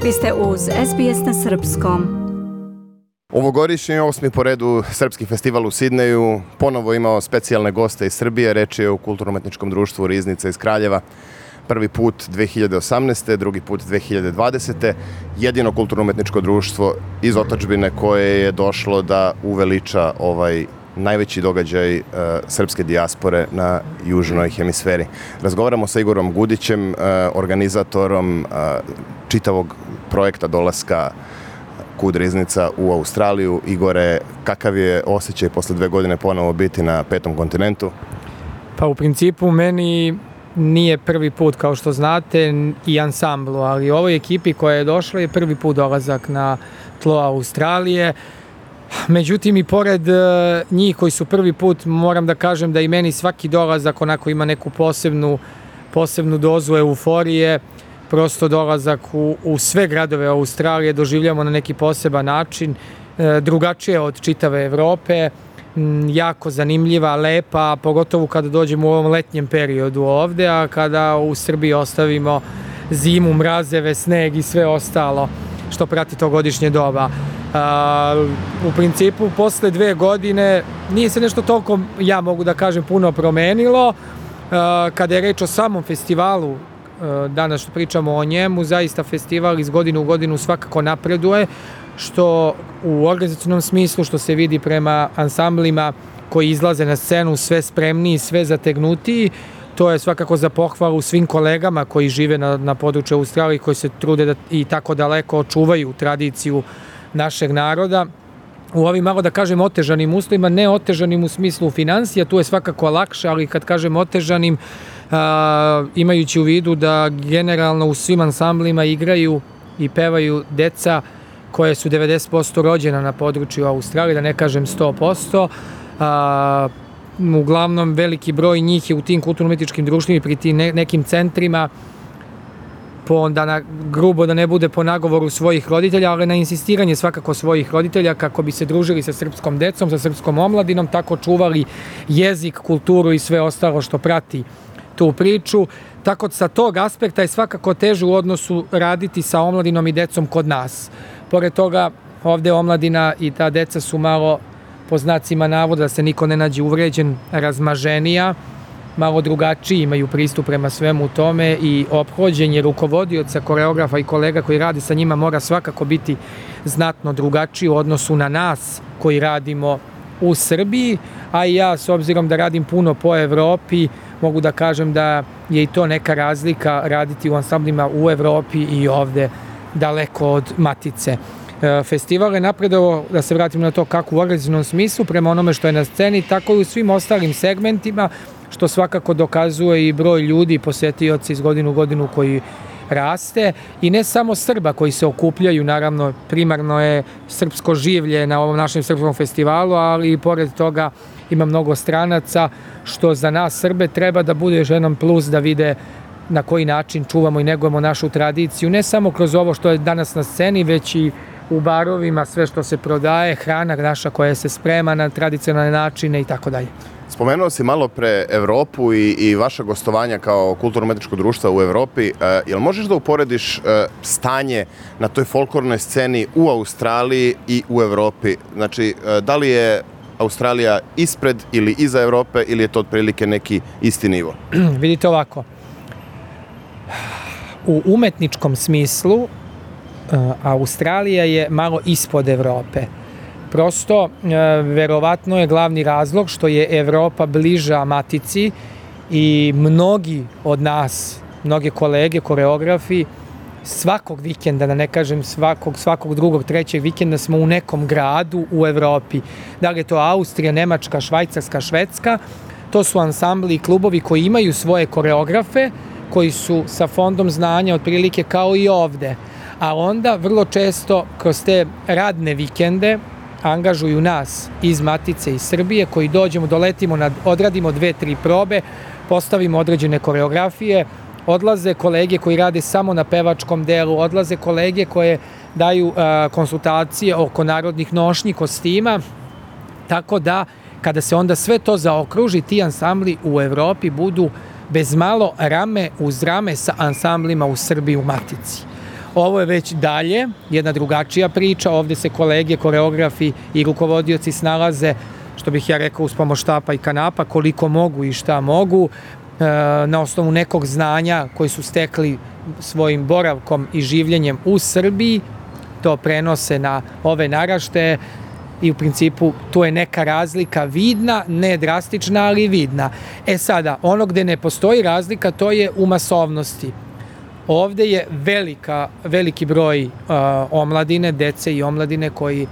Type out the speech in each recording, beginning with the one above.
Vi ste uz SBS na srpskom. Ovogodišnji 8. po redu srpski festival u Sidneju ponovo imao specijalne goste iz Srbije. Reč je o kulturno-umetničkom društvu Riznica iz Kraljeva. Prvi put 2018. drugi put 2020. Jedino kulturno-umetničko društvo iz otadžbine koje je došlo da uveliča ovaj najveći događaj srpske dijaspore na južnoj hemisferi. Razgovaramo sa Igorom Gudićem, organizatorom čitavog projekta dolaska KUD Riznica u Australiju. Igore, kakav je osjećaj posle 2 godine ponovo biti na 5. kontinentu? Pa u principu meni nije prvi put, kao što znate, i ansamblu, ali ovoj ekipi koja je došla je prvi put dolazak na tlo Australije. Međutim, i pored njih koji su prvi put, moram da kažem da i meni svaki dolazak onako ima neku posebnu dozu euforije. Prosto dolazak u sve gradove Australije doživljamo na neki poseban način, drugačije od čitave Evrope, jako zanimljiva, lepa, pogotovo kada dođemo u ovom letnjem periodu ovde, a kada u Srbiji ostavimo zimu, mrazeve, sneg i sve ostalo što prati to godišnje doba. U principu, posle 2 godine nije se nešto toliko, ja mogu da kažem, puno promenilo. Kada je reč o samom festivalu, danas što pričamo o njemu, zaista festival iz godine u godinu svakako napreduje, što u organizacionom smislu, što se vidi prema ansamblima koji izlaze na scenu sve spremniji, sve zategnutiji. To je svakako za pohvalu svim kolegama koji žive na području Australije, koji se trude da i tako daleko očuvaju tradiciju našeg naroda. U ovim, malo da kažem, otežanim uslovima, ne otežanim u smislu financija, tu je svakako lakše, ali kad kažem otežanim, imajući u vidu da generalno u svim ansamblima igraju i pevaju deca koje su 90% rođena na području Australije, da ne kažem 100%. Uglavnom veliki broj njih je u tim kulturno-umetničkim društvima i pri tim nekim centrima, grubo da ne bude po nagovoru svojih roditelja, ali na insistiranje svakako svojih roditelja kako bi se družili sa srpskom decom, sa srpskom omladinom, tako čuvali jezik, kulturu i sve ostalo što prati tu priču. Tako sa tog aspekta je svakako teže u odnosu raditi sa omladinom i decom kod nas. Pored toga, ovde omladina i ta deca su malo, po znacima navoda, da se niko ne nađe uvređen, razmaženija, malo drugačiji imaju pristup prema svemu tome i ophođenje rukovodioca, koreografa i kolega koji radi sa njima mora svakako biti znatno drugačiji u odnosu na nas koji radimo u Srbiji, a i ja, s obzirom da radim puno po Evropi, mogu da kažem da je i to neka razlika raditi u ansamblima u Evropi i ovde daleko od matice. Festival je napredovao, da se vratim na to, kako u organizacionom smislu, prema onome što je na sceni, tako i u svim ostalim segmentima, što svakako dokazuje i broj ljudi i posetioci iz godine u godinu koji raste. I ne samo Srba koji se okupljaju, naravno, primarno je srpsko življe na ovom našem srpskom festivalu, ali i pored toga ima mnogo stranaca, što za nas Srbe treba da bude još jedan plus da vide na koji način čuvamo i negujemo našu tradiciju, ne samo kroz ovo što je danas na sceni, već i u barovima, sve što se prodaje, hrana naša koja se sprema na tradicionalne načine i tako dalje. Spomenuo si malo pre Evropu i vaša gostovanja kao kulturno-umetničko društva u Evropi. Jel možeš da uporediš stanje na toj folklornoj sceni u Australiji i u Evropi? Znači, da li je Australija ispred ili iza Evrope ili je to otprilike neki isti nivo? Vidite ovako, u umetničkom smislu Australija je malo ispod Evrope. Prosto, verovatno je glavni razlog što je Evropa bliža matici i mnogi od nas, mnoge kolege, koreografi, svakog vikenda, da ne kažem svakog drugog, trećeg vikenda smo u nekom gradu u Evropi. Da li je to Austrija, Nemačka, Švajcarska, Švedska, to su ansambli i klubovi koji imaju svoje koreografe, koji su sa fondom znanja otprilike kao i ovde. A onda vrlo često kroz te radne vikende angažuju nas iz Matice iz Srbije koji dođemo, doletimo, odradimo 2-3 probe, postavimo određene koreografije, odlaze kolege koji rade samo na pevačkom delu, odlaze kolege koje daju konsultacije oko narodnih nošnji, kostima, tako da kada se onda sve to zaokruži, ti ansambli u Evropi budu bez malo rame uz rame sa ansamblima u Srbiji u Matici. Ovo je već dalje, jedna drugačija priča, ovde se kolege, koreografi i rukovodioci snalaze, što bih ja rekao, uz pomoć štapa i kanapa, koliko mogu i šta mogu, na osnovu nekog znanja koji su stekli svojim boravkom i življenjem u Srbiji, to prenose na ove naraštaje i u principu tu je neka razlika vidna, ne drastična, ali vidna. Sada, ono gde ne postoji razlika, to je u masovnosti. Ovde je veliki broj omladine, dece i omladine koji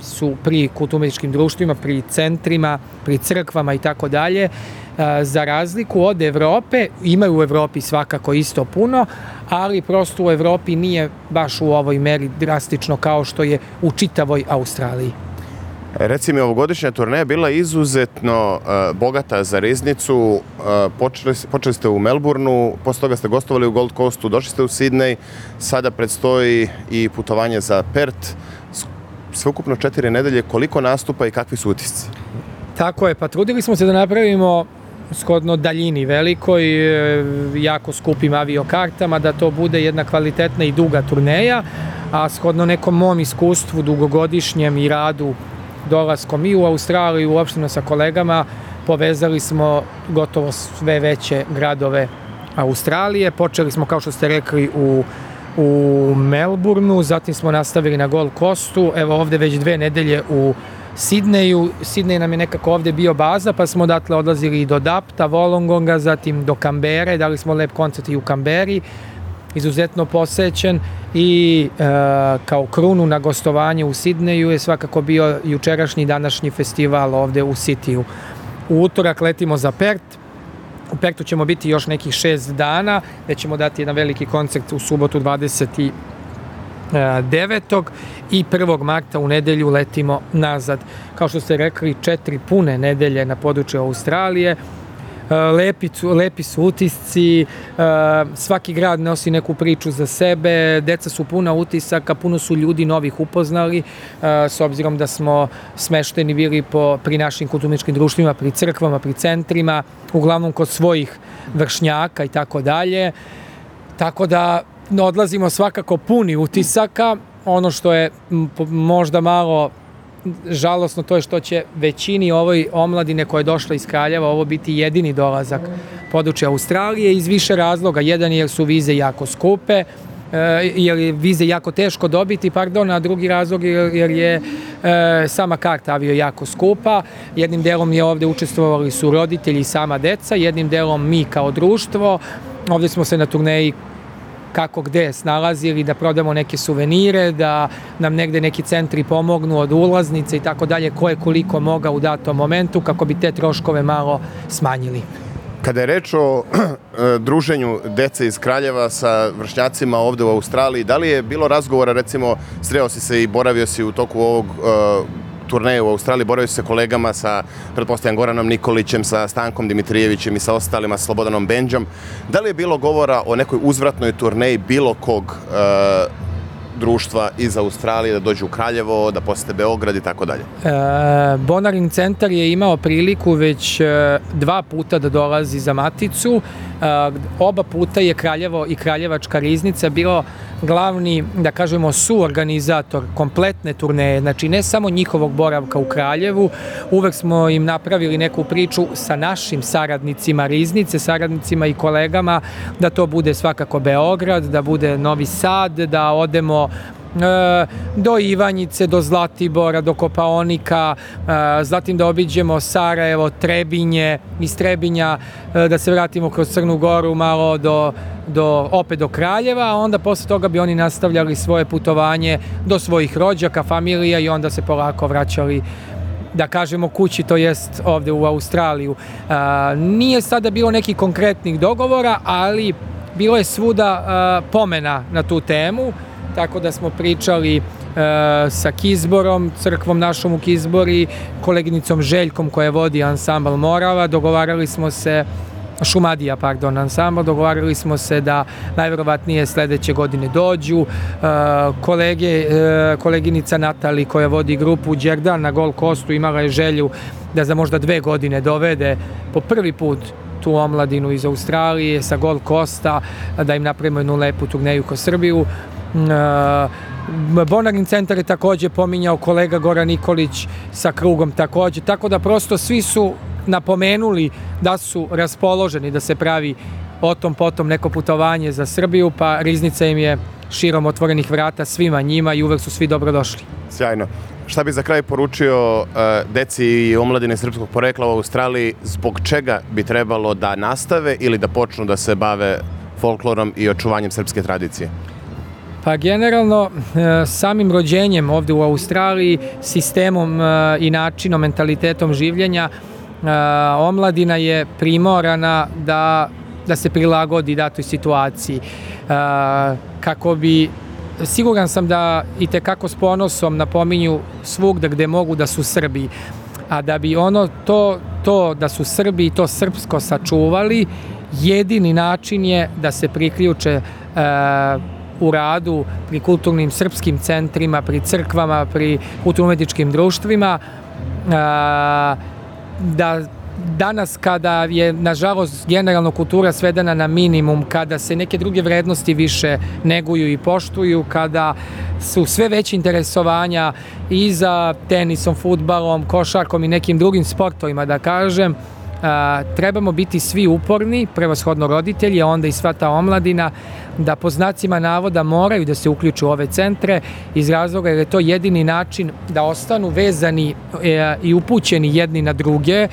su pri kulturno-umetničkim društvima, pri centrima, pri crkvama i tako dalje. Za razliku od Evrope, imaju u Evropi svakako isto puno, ali prosto u Evropi nije baš u ovoj meri drastično kao što je u čitavoj Australiji. Reci mi, ovogodišnja turneja bila izuzetno bogata za riznicu. Počeli ste u Melbourneu, posle toga ste gostovali u Gold Coastu, došli ste u Sidney, sada predstoji i putovanje za Perth. Sveukupno 4 nedelje, koliko nastupa i kakvi su utisci? Tako je, pa trudili smo se da napravimo shodno daljini velikoj, jako skupim aviokartama, da to bude jedna kvalitetna i duga turneja, a shodno nekom mom iskustvu dugogodišnjem i radu dolaskom i u Australiju, uopšteno sa kolegama, povezali smo gotovo sve veće gradove Australije. Počeli smo, kao što ste rekli, u Melbourneu, zatim smo nastavili na Gold Coastu, evo ovde već 2 nedelje u Sidneju. Sidney nam je nekako ovde bio baza, pa smo odatle odlazili i do Dapta, Wollongonga, zatim do Kambere, dali smo lep koncert i u Kamberi, izuzetno posećen, i kao krunu na gostovanje u Sidneju je svakako bio jučerašnji i današnji festival ovde u Sitiju. U utorak letimo za Perth. U Perthu ćemo biti još nekih 6 dana, gde ćemo dati jedan veliki koncert u subotu 29. i 1. marta u nedelju letimo nazad. Kao što ste rekli, 4 pune nedelje na području Australije. Lepi su utisci, svaki grad nosi neku priču za sebe, deca su puna utisaka, puno su ljudi novih upoznali, s obzirom da smo smešteni bili pri našim kulturničkim društvima, pri crkvama, pri centrima, uglavnom kod svojih vršnjaka i tako dalje. Tako da odlazimo svakako puni utisaka. Ono što je možda malo žalosno, to je što će većini ovoj omladine koja je došla iz Kraljeva ovo biti jedini dolazak područja Australije iz više razloga. Jedan je jer su vize jako skupe, jer je vize jako teško dobiti, a drugi razlog jer je sama karta avio jako skupa. Jednim delom je ovde učestvovali su roditelji i sama deca, jednim delom mi kao društvo. Ovde smo se na turneji kako gde snalazili, da prodamo neke suvenire, da nam negde neki centri pomognu od ulaznice i tako dalje, ko je koliko mogao u datom momentu, kako bi te troškove malo smanjili. Kada je reč o druženju dece iz Kraljeva sa vršnjacima ovde u Australiji, da li je bilo razgovora, recimo, sreo si se i boravio si u toku ovog turneje u Australiji, boravio si se kolegama sa, pretpostavljam, Goranom Nikolićem, sa Stankom Dimitrijevićem i sa ostalima, sa Slobodanom Benđom. Da li je bilo govora o nekoj uzvratnoj turneji bilo kog društva iz Australije da dođu u Kraljevo, da posete Beograd i tako dalje? Bonaring centar je imao priliku već 2 puta da dolazi za Maticu. Oba puta je Kraljevo i Kraljevačka riznica bilo glavni, da kažemo, suorganizator kompletne turneje, znači ne samo njihovog boravka u Kraljevu, uvek smo im napravili neku priču sa našim saradnicima riznice, saradnicima i kolegama, da to bude svakako Beograd, da bude Novi Sad, da odemo do Ivanjice, do Zlatibora, do Kopaonika, zatim da obiđemo Sarajevo, Trebinje, iz Trebinja da se vratimo kroz Crnu Goru malo opet do Kraljeva, a onda posle toga bi oni nastavljali svoje putovanje do svojih rođaka, familija i onda se polako vraćali, da kažemo, kući, to jest ovde u Australiju. Nije sada bilo nekih konkretnih dogovora, ali bilo je svuda pomena na tu temu, tako da smo pričali sa Kizborom, crkvom našom u Kizbori, koleginicom Željkom koja vodi ansambl Morava, dogovarali smo se, Šumadija, ansambl, dogovarali smo se da najverovatnije sledeće godine dođu. Koleginica Natali koja vodi grupu Đerdan na Gold Coastu imala je želju da za možda 2 godine dovede po prvi put tu omladinu iz Australije sa Gold Coasta, da im napravimo jednu lepu turneju kroz Srbiju. Bonarin centar je takođe pominjao kolega Goran Nikolić sa krugom takođe, tako da prosto svi su napomenuli da su raspoloženi da se pravi o tom potom neko putovanje za Srbiju, pa Riznica im je širom otvorenih vrata svima njima i uvek su svi dobrodošli. Sjajno. Šta bi za kraj poručio deci i omladine srpskog porekla u Australiji, zbog čega bi trebalo da nastave ili da počnu da se bave folklorom i očuvanjem srpske tradicije? Pa generalno samim rođenjem ovde u Australiji, sistemom i načinom, mentalitetom življenja, omladina je primorana da se prilagodi datoj situaciji. Kako bi, siguran sam da i tekako s ponosom napominju svugda gde mogu da su Srbi, a da bi to da su Srbi i to srpsko sačuvali, jedini način je da se priključe u radu pri kulturnim srpskim centrima, pri crkvama, pri kulturno-umetničkim društvima, da danas kada je nažalost generalno kultura svedena na minimum, kada se neke druge vrednosti više neguju i poštuju, kada su sve veće interesovanja i za tenisom, fudbalom, košarkom i nekim drugim sportovima, da kažem, trebamo biti svi uporni, prevashodno roditelji, a onda i sva ta omladina, da po znacima navoda moraju da se uključu u ove centre iz razloga jer je to jedini način da ostanu vezani i upućeni jedni na druge,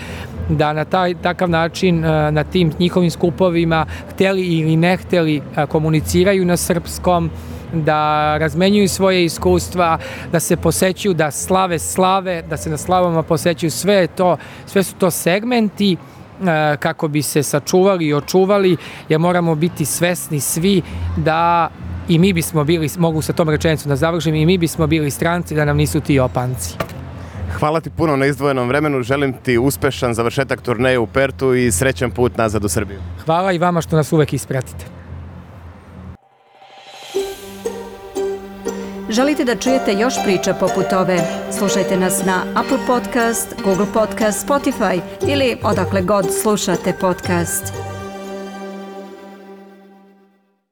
da na takav način na tim njihovim skupovima, hteli ili ne hteli, komuniciraju na srpskom, da razmenjuju svoje iskustva, da se posećuju, da slave, da se na slavama posećuju, sve su to segmenti kako bi se sačuvali i očuvali, jer moramo biti svesni svi da i mi bismo bili, mogu sa tom rečenicom da završim, i mi bismo bili stranci da nam nisu ti opanci. Hvala ti puno na izdvojenom vremenu, želim ti uspešan završetak turneje u Pertu i srećan put nazad u Srbiju. Hvala i vama što nas uvek ispratite. Želite da čujete još priča poput ove? Slušajte nas na Apple Podcast, Google Podcast, Spotify ili odakle god slušate podcast.